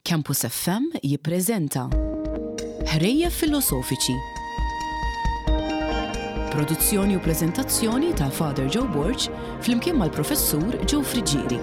Campus FM jippreżenta Ħrejjef Filosofiċi. Produzzjoni u preżentazzjoni ta' Father Joe Borg flimkien mal-Professur Joe Friggieri.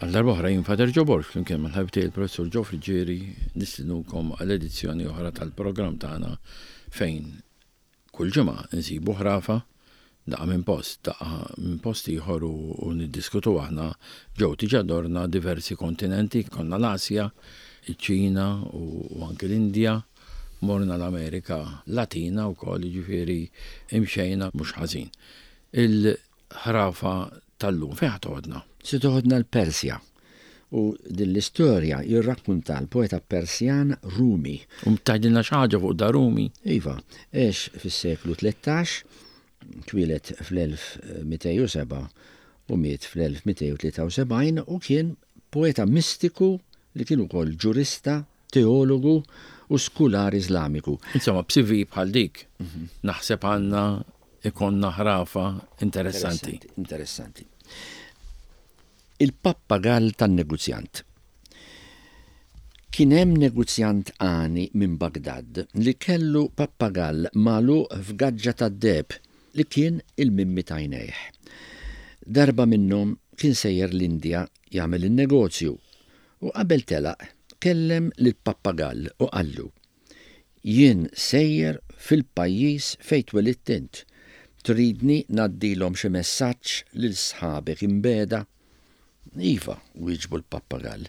Għal darba oħra jien Fader Joe Borg flimkien mal-ħabib tiegħi il-Professur Joe Friggieri nistinukom għal edizzjoni oħra tal-programm tagħna fejn Kull ġimgħa nsibu ħrafa, daqqa minn post, daqqa minn post ieħor u niddiskutu aħna ġew diġà dorna diversi kontinenti, konna l-Asja, iċ-Ċina u anki l-Indja, morna l-Amerika Latina wkoll, jiġifieri imxejna mhux ħażin. Il-ħrafa tal-lum fejn ħa toħodna? Se toħodna l-Persja. U din l-istorja jirrakkunta l-poeta Persjan Rumi. U tgħidilna xi ħaġa fuq da Rumi? Iva, għex fis-seklu 13, twieled fl-1207 u miet fl-1273 u kien poeta mistiku li kien ukoll ġurista, teologu u skular Iżlamiku. Insomma, b'CV bħal dik, naħseb għandna ikollna ħrafa interessanti. Interessanti. Il-pappagall tan-neguzjant. Kien hemm neguzjant għani minn Bagdad li kellu pappagall magħluq f'gaġġa tad-deheb li kien il-mimmi t'għajnejh. Darba minnhom kien sejjer l-Indja jagħmel in-negozju u qabel telaq kellem lill-pappagall u qallu, Jien sejjer fil-pajjiż fejn twelidt int. Tridni ngħaddilhom xi messaġġ lil sħabek imbiegħda? Iva, wieġbu l-pappagall.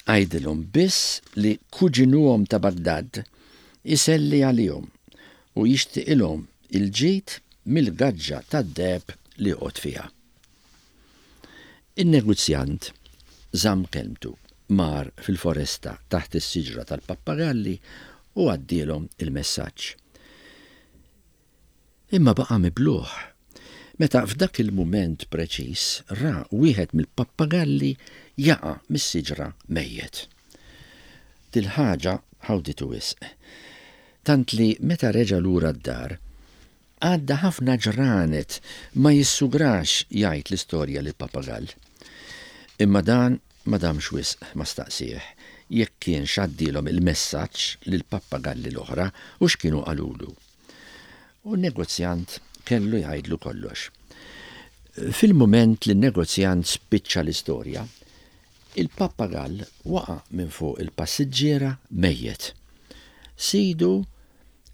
Għidilhom biss li kuġinuhom ta' Bagdad iselli għalihom u jixtiqilhom il-ġid mill-gaġġa tad-deheb li joqgħod fiha. In-negozjant żamm kelmtu, mar fil-foresta taħt is-siġra tal-pappagalli u għaddielhom il-messaġġ. Imma baqa' mibluh meta f'dak il-mument preċiż ra wieħed mill-pappagalli jaqa' mis-siġra mejjet. Dil-ħaġa ħawditu wisq, tant li meta reġa' lura d-dar, Għadda ħafna ġranet ma jissugrax jgħid l-istorja lill-papagall. Imma dan ma damx wisq ma staqsieh jekk kienx għaddielhom il-messaġġ lill-pappagalli l-oħra u x'kienu qalulu. U n-negozjant kellu jgħidlu kollox. Fil-mument li n-negozjant spiċċa l-istorja, il-pappagall waqa' minn fuq il-passiġġiera mejjet. Sidu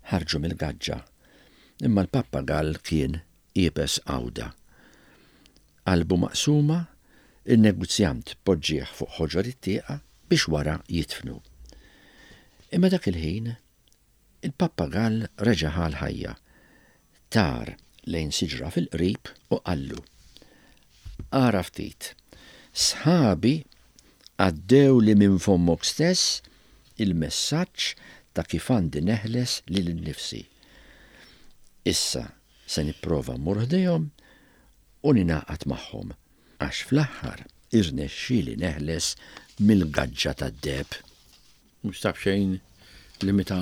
ħarġu mill-gaġġa Imma l-pappagall kien iebes għawda. Qalbu maqsuma, in-neguzjant poġġieh fuq ħoġor it-tieqa biex wara jidfnu. Imma dak il-ħin, il-pappagall reġa' ħa l-ħajja. Tar lejn siġra fil-qrib u qallu, Ara ftit, sħabi għaddewli minn fommok stess il-messaġġ ta' kif għandi neħles lili nnifsi. Issa se nipprova mmur ħdejhom u ningħaqad magħhom, għax fl-aħħar irnexxieli neħles mill-gaġġa tad-deheb. Mhux ta' b'xejn li meta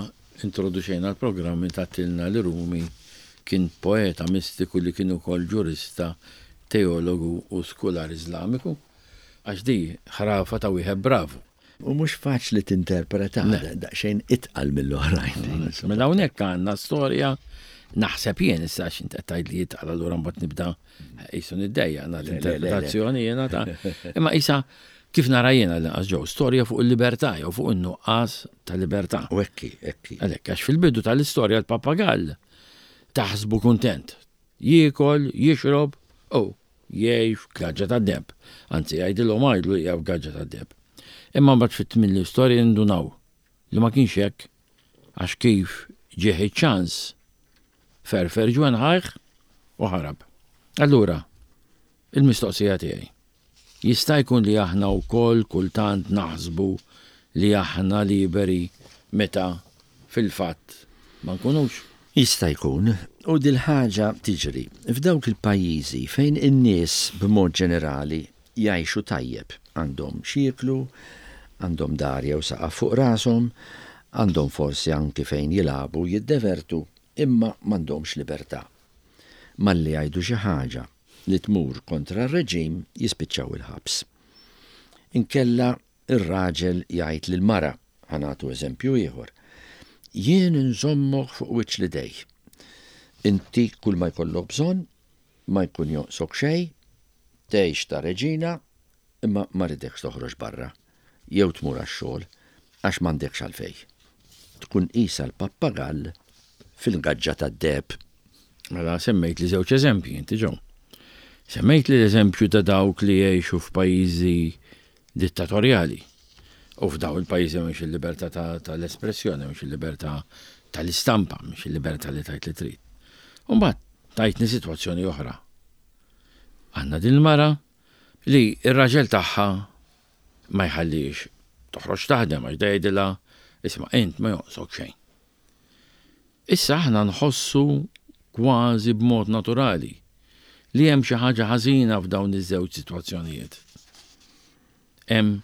introduċejna l-programm int għedtilna li Rumi kien poeta mistiku li kien ukoll ġurista, teologu u skular Iżlamiku. Għax di ħrafa ta' wieħed bravu. U mhux faċli tinterpretaha, daqsxejn itqal mill-oħrajn. Mela hawnhekk għandna storja naħseb jien issa għax int qed tgħid li itqal allura mbagħad nibda qisu niddejjaq nagħti interpretazzjoni jiena ta' imma qisha kif nara jiena l-inqas ġew storja fuq il-libertà jew fuq in-nuqqas ta' libertà. U hekk hi, hekk hi. Għalhekk għax fil-bidu tal-istorja l-pappagall taħsbu kuntent. Jiekol, jixrob u Jgħix f'gaġġa tad-deheb. Anzi, jgħidilhom għidlu li hija f'gaġġa tad-deheb. Imma mbagħad fit-tmien l-istorja nindunaw li ma kienx hekk għax kif ġieh iċ-ċans ferfer ġwenħajh u ħarab. Allura, il-mistoqsija tiegħi, jista' jkun li aħna wkoll kultant naħsbu li aħna liberi meta fil-fatt ma nkunux? Jista' jkun, u dil-ħaġa tiġri f'dawk il-pajjiżi fejn in-nies b'mod ġenerali jgħixu tajjeb, għandhom x'jieklu, għandhom dar jew saqaf fuq rashom, għandhom forsi anki fejn jilagħbu u jiddevertu, imma m'għandhomx libertà. Malli jgħidu xi ħaġa li tmur kontra r-reġim jispiċċaw il-ħabs. Inkella r-raġel jgħid lill-mara, ħa nagħtu eżempju ieħor, Jien inżommok fuq wiċċ l-idej. Intik kull ma jkollok bżonn, ma jkun jonqsok xejn, tgħix ta' reġina, imma ma rridekx toħroġ barra jew tmur għax-xogħol għax m'għandekx għalfejn. Tkun qisha l-pappagall fil-gaġġa tad-deheb. Mela semmejtli żewġ eżempji inti Joe. Semmejtli l-eżempju ta' dawk li jgħixu f'pajjiżi dittatorjali. U f'dawn il-pajjiżi m'hemmx il-libertà tal-espressjoni, m'hemmx il-libertà tal-istampa, m'hemmx il-libertà li tgħid li trid. U mbagħad tajtni sitwazzjoni oħra. Għandna din il-mara li r-raġel tagħha ma jħallix toħroġ taħdem għax da jgħidilha isma' int ma jonqsok xejn. Issa aħna nħossu kważi b'mod naturali li hemm xi ħaġa ħażina f'dawn iż-żewġ sitwazzjonijiet. Hemm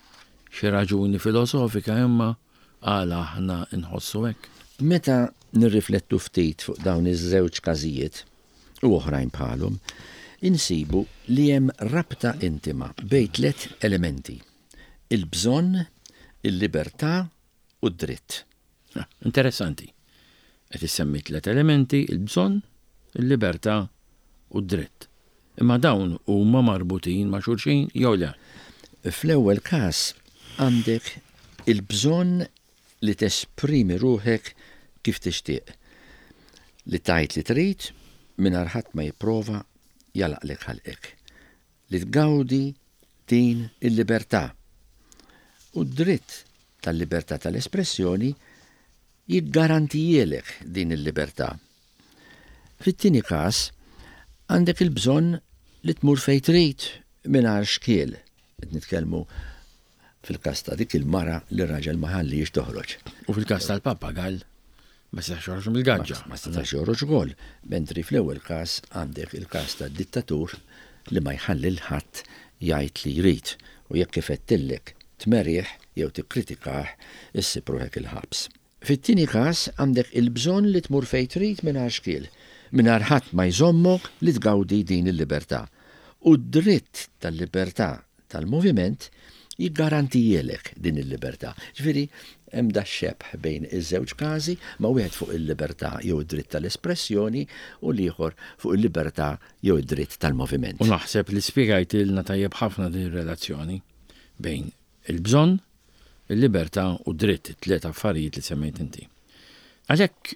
xi raġuni filosofika imma għala aħna nħossu hekk? Meta nirriflettu ftit fuq dawn iż-żewġ każijiet, u oħrajn bħalhom, insibu li hemm rabta intima bejn tlett elementi, il-bżonn, il-libertà u d-dritt. Interessanti. Qed issemmi tlett elementi, il-bżonn, il-libertà u d-dritt. Imma dawn huma marbutin ma' xulxin jew le? Fl-ewwel każ għandek il-bżonn li tesprimi ruħek kif tixtieq, li tgħid li trid mingħajr ħadd ma jipprova jagħlaqlek ħalqek. li tgawdi din il-libertà u d-dritt tal-libertà tal-espressjoni jiggarantijielek din il-libertà. Fit-tieni każ, għandek il-bżonn li tmur fejn trid mingħajr xkiel, qed nitkellmu fil-każ ta' dik il-mara li r-raġel ma ħallihiex toħroġ. U fil-każ tal-pappagall ma setax joħroġ mill-gaġġa. Ma setax joħroġ ukoll, mentri fl-ewwel każ għandek il-każ tad-dittatur li ma jħalli 'l ħadd jgħid li jrid u jekk ifettillek tmerih jew tikkritikah issib ruħek il-ħabs. Fit-tieni każ għandek il-bżonn li tmur fejn trid mingħajr xkiel, mingħajr ħadd ma jżommok li tgawdi din il-libertà. U d-dritt tal-libertà tal-moviment jiggarantijielek din il-libertà. Ġifieri hemm dax-xebh bejn iż-żewġ każi, ma wieħed fuq il-libertà jew id-dritt tal-espressjoni u l-ieħor fuq il-libertà jew id-dritt tal-moviment. U naħseb li spjegajtilna tajjeb ħafna din ir-relazzjoni bejn il-bżonn, il-libertà u d-dritt, it-tliet affarijiet li semmejt inti. Għalhekk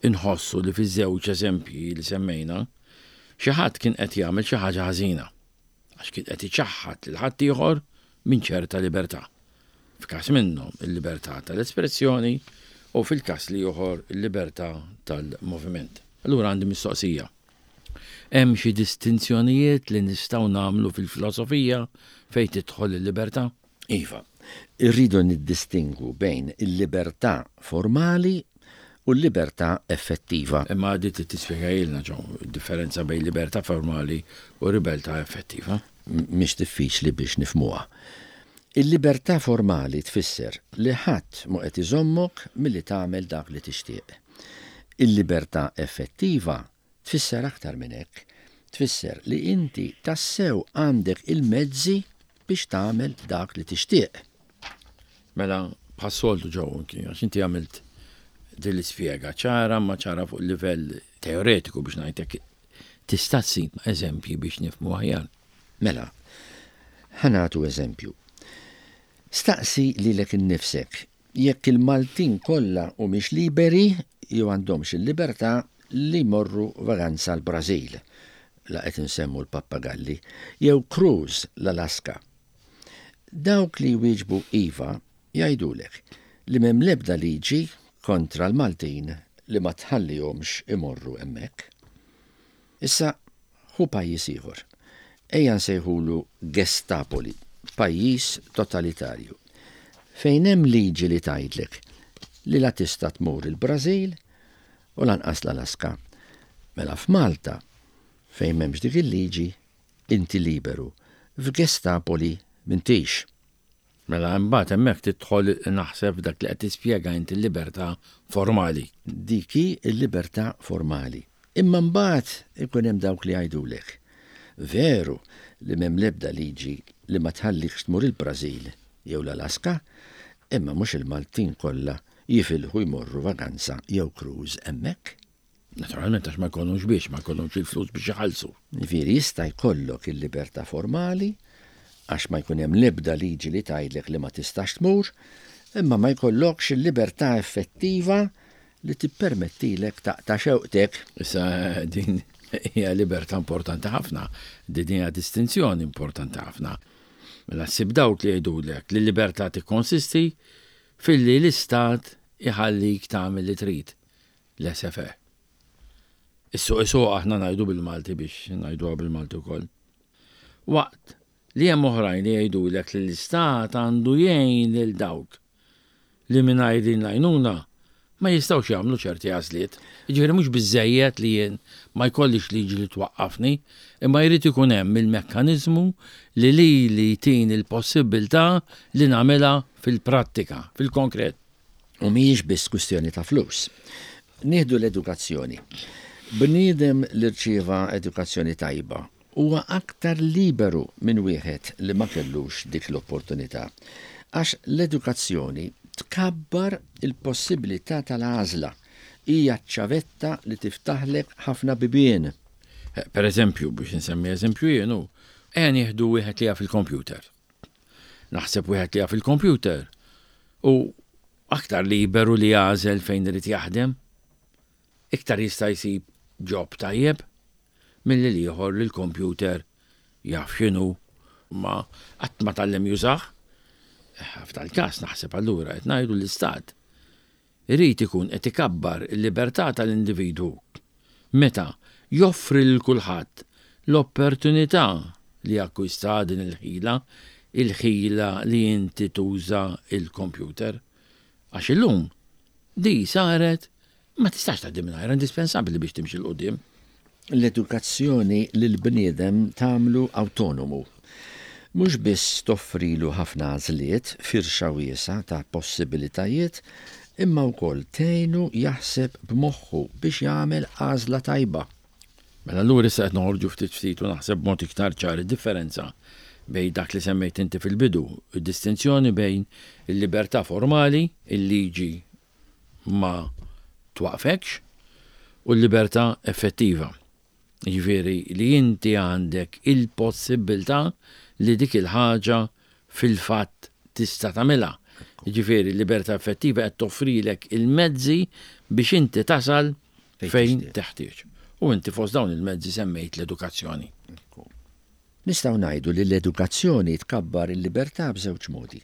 inħossu li fiż-żewġ eżempji li semmejna, xi ħadd kien qed jagħmel xi ħaġa ħażina, għax kien qed iċaħħad lil ħaddieħor minn ċerta libertà. F'każ minnhom il-libertà tal-espressjoni u fil-każ l-ieħor il-libertà tal-moviment. Allura għandi mistoqsija. Hemm xi distinzjonijiet li nistgħu nagħmlu fil-filosofija fejn tidħol il-libertà? Iva, irridu niddistingwu bejn il-libertà formali u l-libertà effettiva. Imma di trid tispjegahilna, Joe, id-differenza bejn libertà formali u ribeltà effettiva. Mhix diffiċli biex nifhmuha. Il-libertà formali tfisser li ħadd mhu qed iżommok milli tagħmel dak li tixtieq. Il-libertà effettiva tfisser aktar minn hekk. Tfisser li inti tassew għandek il-mezzi biex tagħmel dak li tixtieq. Mela, bħas-soltu Joe, għax inti għamilt din l-ispjega ċara ma ċara fuq livell teoretiku biex ngħidlek tista' ssib eżempji biex nifhmu aħjar. Mela, ħa nagħtu eżempju. Staqsi lilek innifsek jekk il-Maltin kollha humiex liberi jew għandhomx il-libertà li jmorru vaganza l-Brażil, la qed insemmu l-pappagalli, jew cruise l-Alaska. Dawk li jwieġbu iva jgħidulek li m'hemm l-ebda liġi kontra l-Maltin li ma tħallihomx imorru hemmhekk. Issa ħu pajjiż ieħor. Ejja nsejħulu Gestapoli, pajjiż totalitarju. Fejn hemm liġi li tgħidlek li la tista' tmur il-Brażil u lanqas l-Alaska. Mela f'Malta, fejn m'hemmx dik il-liġi, inti liberu. F'Gestapoli m'intix. Mela imbagħad hemmhekk tidħol naħseb f'dak li qed tispjega inti l-libertà formali. Dik hi l-libertà formali. Imma mbagħad ikun hemm dawk li jgħidulek, Veru li m'hemm l-ebda liġi li ma tħallikx tmur il-Brażil jew l-Alaska, imma mhux il-Maltin kollha jifilħu jmorru vaganza jew cruise hemmhekk. Naturalment għax ma jkollhomx biex, ma jkollhomx il-flus biex iħallsu. Jiġifieri jista' jkollok il-libertà formali għax ma jkun hemm l-ebda liġi li tgħidlek li ma tistax tmur, imma ma jkollokx il-libertà effettiva li tippermettilek taqta' xewqtek. Issa din hija libertà importanti ħafna, din hija distinzjoni importanti ħafna. Mela ssib dawk li jgħidulek li l-libertà tikkonsisti filli l-istat iħallik tagħmel li trid. Laissez-faire. Is-suq isuq aħna ngħidu bil-Malti biex ngħiduha bil-Malti wkoll. Waqt li hemm oħrajn li jgħidulek li l-istat għandu jgħin lil dawk li mingħajr din l-għajnuna ma jistgħux jagħmlu ċerti għażliet. Jiġifieri mhux biżżejjed li jien ma jkollix liġi li twaqqafni, imma jrid ikun hemm il-mekkaniżmu li lili jtini l-possibbiltà li nagħmilha fil-prattika, fil-konkret. U mhijiex biss kwistjoni ta' flus. Nieħdu l-edukazzjoni. Bniedem li rċieva edukazzjoni tajba huwa aktar liberu minn wieħed li ma kellux dik l-opportunità. Għax l-edukazzjoni tkabbar il-possibilità tal-għażla. Hija ċ-ċavetta li tiftaħlek ħafna bibien. Per eżempju, biex insemmi eżempju jien hu, ejja nieħdu wieħed li jaf il-kompjuter. Naħseb wieħed li jaf il-kompjuter u aktar liberu li jagħżel fejn irid jaħdem, iktar jista' jsib job tajjeb milli l-ieħor li l-kompjuter jaf x'inhu ma qatt ma tgħallem jużah. F'dal-każ naħseb allura qed ngħidu l-istat irid ikun qed ikabbar il-libertà tal-individwu meta joffri lil kulħadd l-opportunità li jakkwista din il-ħila, il-ħila li inti tuża l-kompjuter. Għax illum di saret ma tistax tgħaddi mingħajrha, indispensabbli biex timxi 'l quddiem. L-edukazzjoni lill-bniedem tagħmlu awtonomu. Mhux biss toffrilu ħafna għażliet, firxa wiesgħa ta' possibilitajiet, imma wkoll tgħinu jaħseb b'moħħu biex jagħmel għażla tajba. Mela allura issa qed noħorġu ftit ftit u naħseb b'mod iktar ċar id-differenza bejn dak li semmejt inti fil-bidu, id-distinzjoni bejn il-libertà formali, il-liġi ma twaqqfekx, u l-libertà effettiva. Jiġifieri li inti għandek il-possibbiltà li dik il-ħaġa fil-fatt tista' tagħmilha. Jiġifieri l-libertà effettiva qed toffrilek il-mezzi biex inti tasal fejn teħtieġ. U inti fost dawn il-mezzi semmejt l-edukazzjoni. Nistgħu ngħidu li l-edukazzjoni tkabbar il-libertà b'żewġ modi.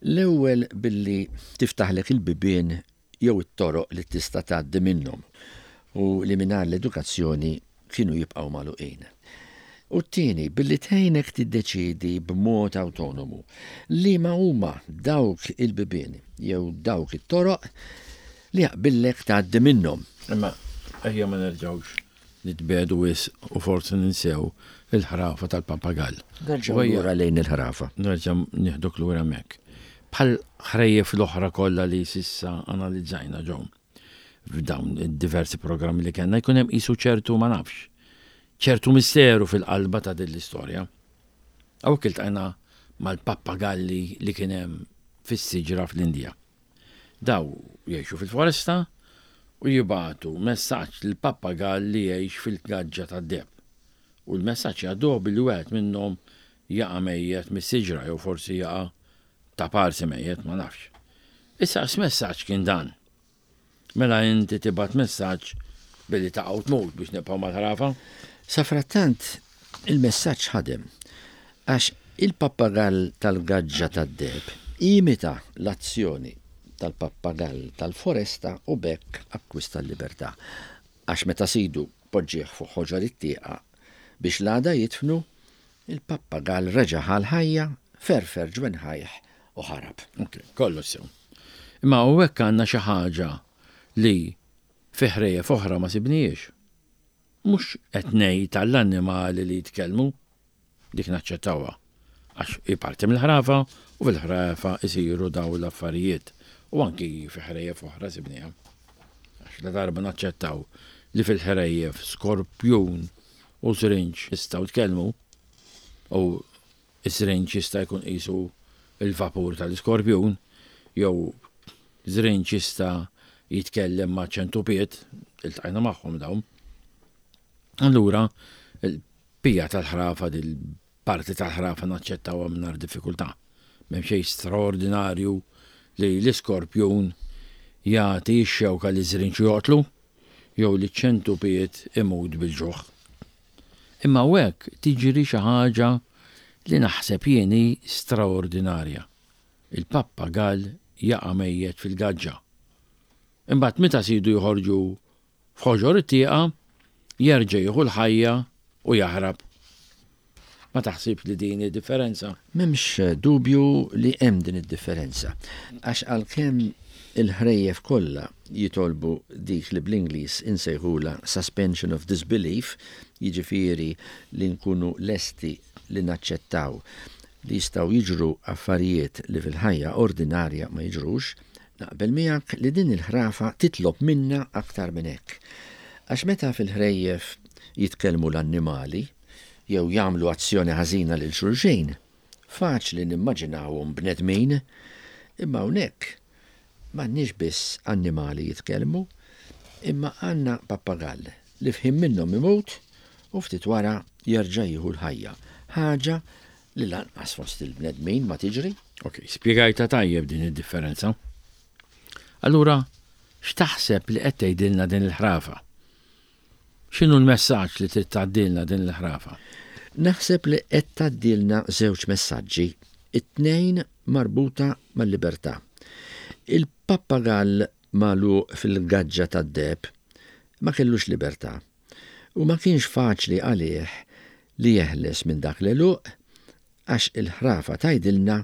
L-ewwel billi tiftaħlek il-bibien jew it-toroq li tista' tgħaddi minnhom u li mingħajr l-edukazzjoni kienu jibqgħu magħluqin. U t-tieni billi tgħinek tiddeċiedi b'mod awtonomu liema huma dawk il-bibien jew dawk it-toroq li jaqbillek tgħaddi minnhom. Imma ejja ma nerġgħux Nitbiegħdu wisq u forsi ninsew il-ħrafa tal-pappagall. Nerġgħu lura lejn il-ħrafa. Nerġa' nieħduk lura hemmhekk. Bħal ħrejjef l-oħra kollha li s'issa analizzajna ġo f'dawn id-diversi programmi li kellna jkun hemm qisu ċertu ma nafx, ċertu misteru fil-qalba ta' din l-istorja. Hawnhekk iltqajna mal-pappagalli li kien hemm fis-siġra fl-Indja. Daw jgħixu fil-foresta u jibagħtu messaġġ lill-pappagall li jgħix fil-gaġġa tad-deheb. U l-messaġġ jgħadduh billi wieħed minnhom jaqa' mejjet mis-siġra jew forsi jaqa' ta' parsi mejjet, ma nafx. Issa x'messaġġ kien dan? Mela inti tibgħat messaġġ billi taqa' u tmut biex nibqgħu mal-ħrafa? Safrattant il-messaġġ ħadem għax il-pappagall tal-gaġġa tad-deheb imita l-azzjoni tal-pappagall tal-foresta u b'hekk akkwista l-libertà. Għax meta sidu poġġieh fuq ħoġor it-tieqa biex l-għada jidfnu, il-pappagall reġa' ħa l-ħajja, ferfer ġwenħajh. u ħarab. Ok, kollox sew. Imma hawnhekk għandna xi ħaġa li fi ħrejjef oħra ma sibnihiex. Mhux qed ngħid għall-annimali li jitkellmu, dik naċċettawha, għax hi parti mill-ħrafa u fil-ħrafa jsiru dawn l-affarijiet u anki fi ħrejjef oħra sibniha. Għax ladarba naċċettaw li fil-ħrejjef skorpjun u żrinġ jistgħu tkellmu u ż-żrinġ jista' jkun qisu l-vapur tal-iskorpjun jew żrinġ jista' jitkellem ma' ċentupiet, iltqajna magħhom dawn. Allura, il-pija tal-ħrafa dil-parti tal-ħrafa naċċettawha mingħajr diffikultà. M'hemm xejn straordinarju li l-iskorpjun jagħti x-xewka liż-żrinġ u joqtlu jew li ċ-ċentupiet imut bil-ġuħ. Imma hawnhekk tiġri xi ħaġa li naħseb jien hi straordinarja. Il-pappagall jaqa' mejjet fil-gaġġa. Imbagħad meta sidu joħorġu f'ħoġor it-tieqa, jerġa' jieħu l-ħajja u jaħrab. Ma taħsibx li din hi differenza? M'hemmx dubju li hemm din id-differenza. Għax għalkemm il-ħrejjef kollha jitolbu dik li bl-Ingliż insejħulha suspension of disbelief, jiġifieri li nkunu lesti li naċċettaw li jistgħu jiġru affarijiet li fil-ħajja ordinarja ma jiġrux, naqbel miegħek li din il-ħrafa titlob minna aktar minn hekk. Għax meta fil-ħrejjef jitkellmu l-annimali, jew jagħmlu azzjoni ħażina lil xulxin, faċli nimmaġinawhom bnedmin, imma hawnhekk m'għandniex biss annimali jitkellmu, imma għandna pappagall li f'ħin minnhom imut u ftit wara jerġa' jieħu l-ħajja, ħaġa li lanqas fost il-bnedmin ma tiġri. Ok, spjegajtha tajjeb din id-differenza. Allura, x'taħseb li qed tgħidilna din il-ħrafa? X'inhu l-messaġġ li trid tgħaddilna din il-ħrafa? Naħseb li qed tgħaddilna żewġ messaġġi, it-tnejn marbuta mal-libertà. Il-pappagall magħluq fil-gaġġa tad-deheb ma kellux libertà u ma kienx faċli għalih li jeħles minn dak l-għeluq Għax il-ħrafa tgħidilna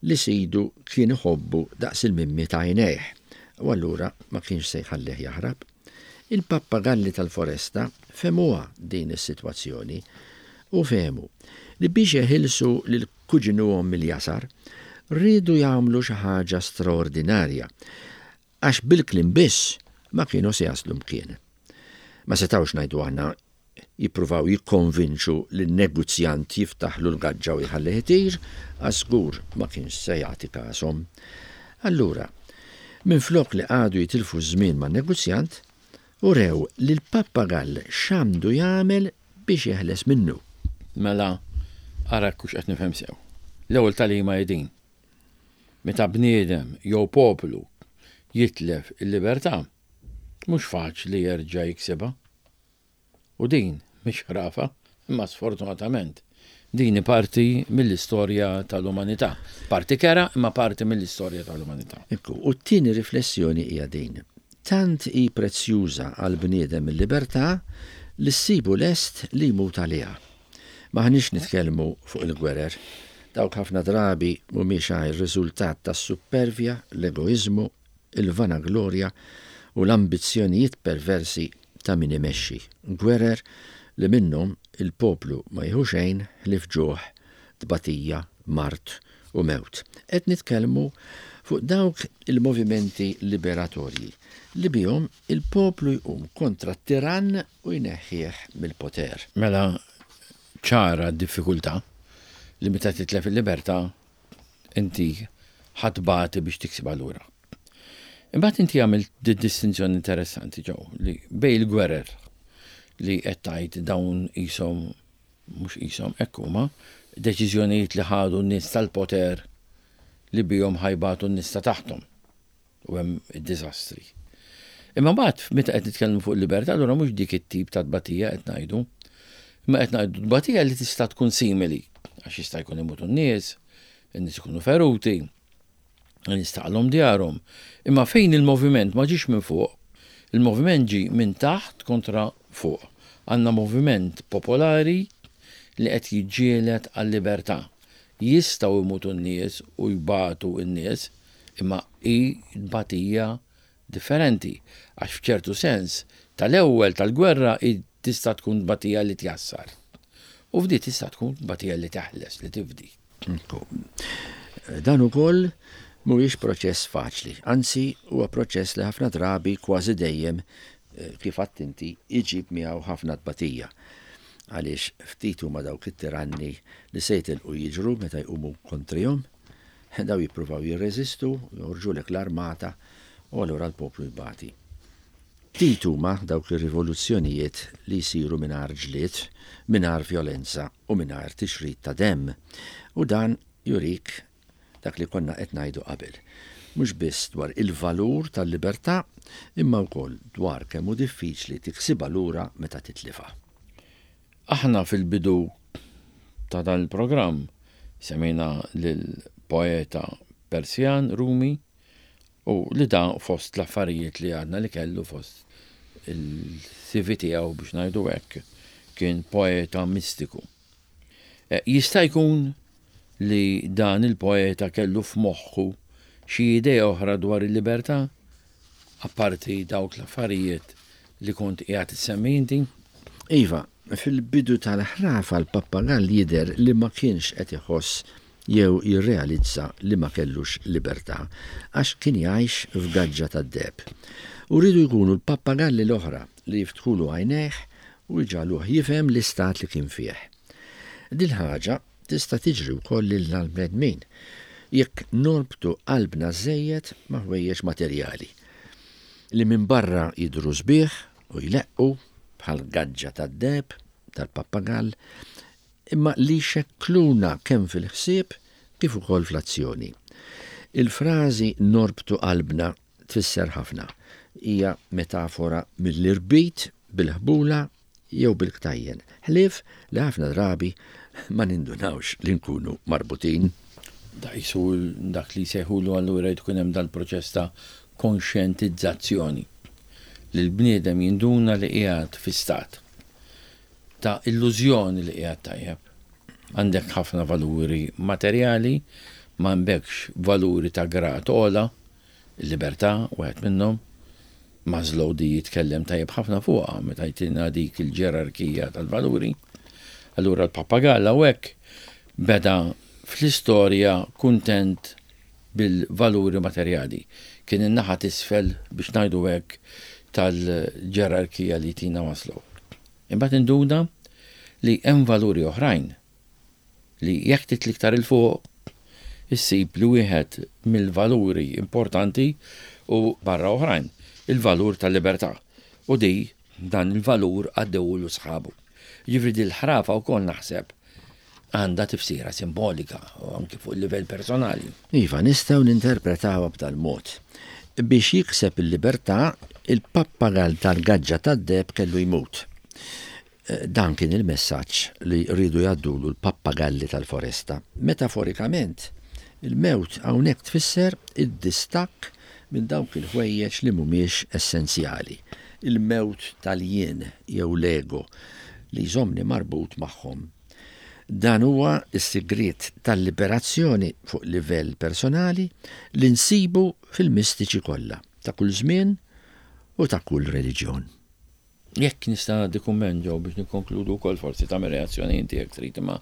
li sidu kien iħobbu daqs il-mimmi t'għajnejh u allura ma kienx se jħallih jaħrab. Il-pappagalli tal-foresta fehmuha din is-sitwazzjoni u fehmu li biex jeħilsu lil kuġinuhom mill-jasar riedu jagħmlu xi ħaġa straordinarja għax bil-kliem biss ma kienu se jaslu mkien. Ma setgħux ngħidu aħna jippruvaw jikkonvinċu lin-neguzjant jiftaħlu l-gaġġa u jħallih itir, għax żgur ma kienx se jagħti kashom. Allura, minflok li qagħdu jitilfu ż-żmien man-neguzjant, urew lill-pappagall x'għandu jagħmel biex jeħles minnu. Mela, ara jekk hux qed nifhem sew. L-ewwel tagħlima hi din, Meta bniedem jew poplu jitlef il-libertà, mhux faċli jerġa' jiksibha. U din mhix ħrafa, imma sfortunatament din hi parti mill-istorja tal-umanità. Parti kerha imma parti mill-istorja tal-umanità. Ekku, u t-tieni riflessjoni hija din, Tant hi prezzjuża għall-bniedem il-libertà li ssibu lest li jmut għaliha. M'aħniex nitkellmu fuq il-gwerer. Dawk ħafna drabi mhumiex għajr riżultat tas-suppervja, l-egoiżmu, il-vanaglorja u l-ambizzjonijiet perversi ta' min imexxi. Gwerer li minnhom il-poplu ma jieħu xejn ħlief ġuħ, tbatija, mard u mewt. Qed nitkellmu fuq dawk il-movimenti liberatorji li bihom il-poplu jqum kontra t-tirann u jneħħih mill-poter. Mela ċara d-diffikultà li meta titlef il-libertà inti ħa tbati biex tiksibha lura. Imbagħad inti għamilt distinzjoni interessanti ġew li bej il-gwerer li qed tgħid dawn qishom mhux qishom hekk huma deċiżjonijiet li ħadu n-nies tal-poter li bihom ħajbatu n-nies ta' taħthom u hemm id-diżastri. Imma mbagħad meta qed nitkellmu fuq il-libertà allura mhux dik it-tip ta' tbatija qed ngħidu. Imma qed ngħidu tbatija li tista' tkun simili għax jista' jkun imutu n-nies, in-nies ikunu feruti, in-nies taqalhom djarhom. Imma fejn il-moviment ma ġiex minn fuq, il-moviment ġie minn taħt kontra fuq. Għandna moviment popolari li qed jiġġieled għal-libertà. Jistgħu jmutu n-nies u jbatu n-nies, imma hi tbatija differenti, għax f'ċertu sens tal-ewwel tal-gwerra hi tista' tkun tbatija li tjassar. U f'di tista' tkun tbatija li teħles, li tifdi. Dan ukoll mhuwiex proċess faċli, anzi huwa proċess li ħafna drabi kważi dejjem eh, kif għedt inti iġib miegħu ħafna tbatija. Għaliex ftit huma dawk it-tiranni li se jitilqu jiġru meta jqumu kontrihom. Daw jippruvaw jirreżistu, joħorġulek l-armata u allura l-poplu jbati. Ftit huma dawk ir-rivoluzzjonijiet li jsiru mingħajr ġlied, mingħajr vjolenza u mingħajr tixrid ta' demm. U dan jurik dak li konna qed ngħidu qabel. Mhux biss dwar il-valur tal-libertà, imma wkoll dwar kemm hu diffiċli tiksibha lura meta titlifha. Aħna fil-bidu ta' dan il-programm semmejna lill-poeta Persjan Rumi U li da fost l-affarijiet li għadna li kellu fost il-CV tiegħu biex ngħidu hekk kien poeta mistiku. Eh, jista' jkun li dan il-poeta kellu f'moħħu xi idea oħra dwar il-libertà apparti dawk l-affarijiet li kont qiegħed issemmi inti? Iva, fil-bidu tal-ħrafa l-pappagall jidher li ma kienx qed iħoss jew jirrealizza li ma kellux libertà għax kien jgħix f'gaġġa tad-deheb. U riedu jkunu l-pappagalli l-oħra li jiftħulu għajnejh u jġagħluh jifhem l-istat li kien fih. Dil-ħaġa tista' tiġri wkoll lilna l-bnedmin jekk norbtu qalbna żżejjed ma' ħwejjeġ materjali li minn barra jidhru sbieħ u jleqqu bħall-gaġġa tad-deheb tal-pappagall imma li jxekkluna kemm fil-ħsieb kif ukoll fl-azzjoni. Il-frażi norbtu qalbna tfisser ħafna. Hija metafora mill-irbit bil-ħbula jew bil-ktajjen, ħlief li ħafna drabi ma nindunawx li nkunu marbutin. Da qisu dak li jsejħulu allura jrid ikun hemm dal-proċess ta' konxjentizzazzjoni li l-bniedem jinduna li qiegħed fi stat ta' illużjoni li qiegħed tajjeb. Għandek ħafna valuri materjali, ma għandekx valuri ta' grad ogħla, il-libertà wieħed minnhom. Maslow di jitkellem tajjeb ħafna fuqha meta jtina dik il-ġerarkija tal-valuri. Allura l-pappagall hawnhekk beda fl-istorja kuntent bil-valuri materjali. Kien in-naħa t'isfel biex ngħidu hekk tal-ġerarkija li jtina Maslow. Imbagħad induna li hemm valuri oħrajn li jekk titla' iktar 'il fuq issib li wieħed mill-valuri importanti hu barra oħrajn, il-valur tal-libertà. U di dan il-valur għaddewulu sħabu. Jiġifieri din il-ħrafa wkoll naħseb għandha tifsira simbolika u anki fuq il-livell personali. Iva, nistgħu ninterpretawha b'dal-mod. Biex jikseb il-libertà, il-pappagall tal-gaġġa tad-deheb kellu jmut. Dan kien il-messaġġ li riedu jgħaddulu l-pappagalli tal-foresta. Metaforikament, il-mewt hawnhekk tfisser id-distakk minn dawk il-ħwejjeġ li mhumiex essenzjali, il-mewt tal-jien jew l-ego li jżommni marbut magħhom. Dan huwa s-sigriet tal-liberazzjoni fuq livell personali li nsibu fil-mistiċi kollha, ta' kull żmien u ta' kull reliġjon. Jekk nista' ngħaddi kumment Joe biex nikkonkludu wkoll forsi tagħmel reazzjoni inti jekk trid imma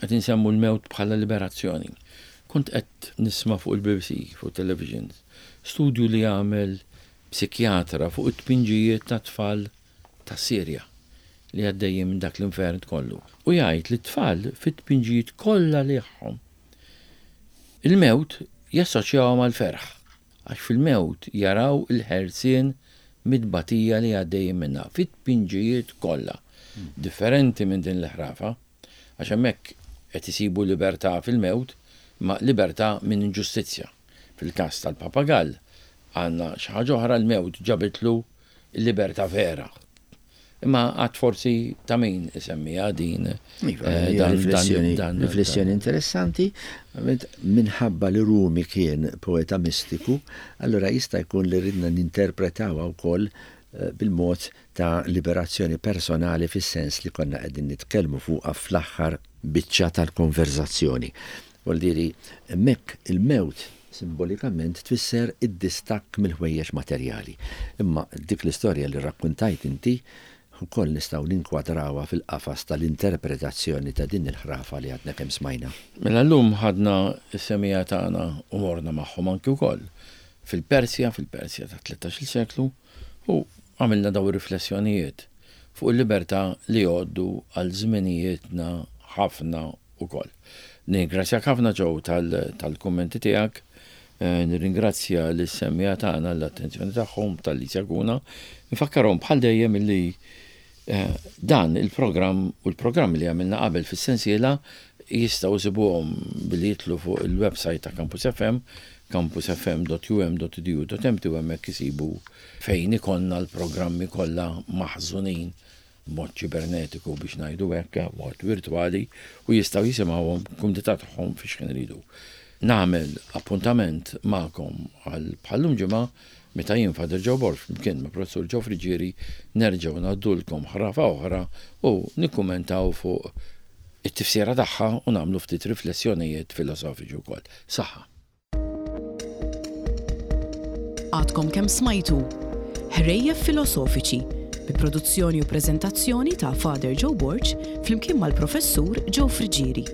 qed insemmu l-mewt bħala liberazzjoni. Kont qed nisma' fuq il-BBC, fuq television, studju li għamel psikjatra fuq it-tpinġijiet ta' tfal tas-Sirja li għaddejjin minn dak l-infern kollu. U jgħid li t-tfal fit-tpinġijiet kollha li tagħhom il-mewt jassoċjawha mal-ferħ, għax fil-mewt jaraw il-ħelsien mit-tbatija li għaddejjin minnha, fit-tpinġijiet kollha. Differenti minn din l-ħrafa, għax hemmhekk qed isibu libertà fil-mewt, imma libertà minn inġustizzja. Fil-każ tal-papagall għandna xi ħaġa oħra, l-mewt ġabitlu l-libertà vera. Imma għad forsi ta' min isemmiha din. Iva, eh, riflessjoni interessanti, minħabba li Rumi kien poeta mistiku, allura jista' jkun li ridna ninterpretawha wkoll bil-mod ta' liberazzjoni personali fis-sens li konna qegħdin nitkellmu fuqha fl-aħħar biċċa tal-konverżazzjoni. Vuol hemmhekk il-mewt simbolikament tfisser id-distakk mill-ħwejjeġ materjali. Imma dik l-istorja li rrakkuntajt inti ukoll nistgħu ninkwadrawha fil-qafas tal-interpretazzjoni ta' din il-ħrafa li għadna kemm smajna. Mela llum ħadna s-semmiegħa tagħna u morna magħhom anki wkoll fil-Persja, fil-Persja tat-tlettax-il seklu, u għamilna dawn ir-riflessjonijiet fuq il-libertà li jgħoddu għal żminijietna ħafna ukoll. Nirringrazzjak ħafna Joe tal-kummenti tiegħek. Nirringrazzja lis-semmiegħa tagħna għall-attenzjoni tagħhom talli jsegwuna. Nfakkarhom bħal dejjem illi dan il-programm u l-programmi li għamilna qabel fis-sensiela jistgħu jsibuhom billi jidħlu fuq il-website ta' Campus FM, campusfm.um.edu.mt u hemmhekk isibu fejn ikollna l-programmi kollha maħżunin b'mod ċibernetiku biex ngħidu hekk, b'mod virtwali u jistgħu jisimgħuhom b'kumdità tagħhom fi x'ħin iridu. Nagħmel appuntament magħkom għal bħal-lum ġimgħa meta jien Father Joe Borg flimkien ma' Professur Joe Friggieri nerġgħu ngħaddulkom ħrafa oħra u nikkumentaw fuq it-tifsira tagħha u nagħmlu ftit riflessjonijiet filosofiċi wkoll. Saħħa! Għadkom kemm smajtu Ħrejjef Filosofiċi bi produzzjoni u preżentazzjoni ta' Father Joe Borg flimkien mal-Professur Joe Friggieri.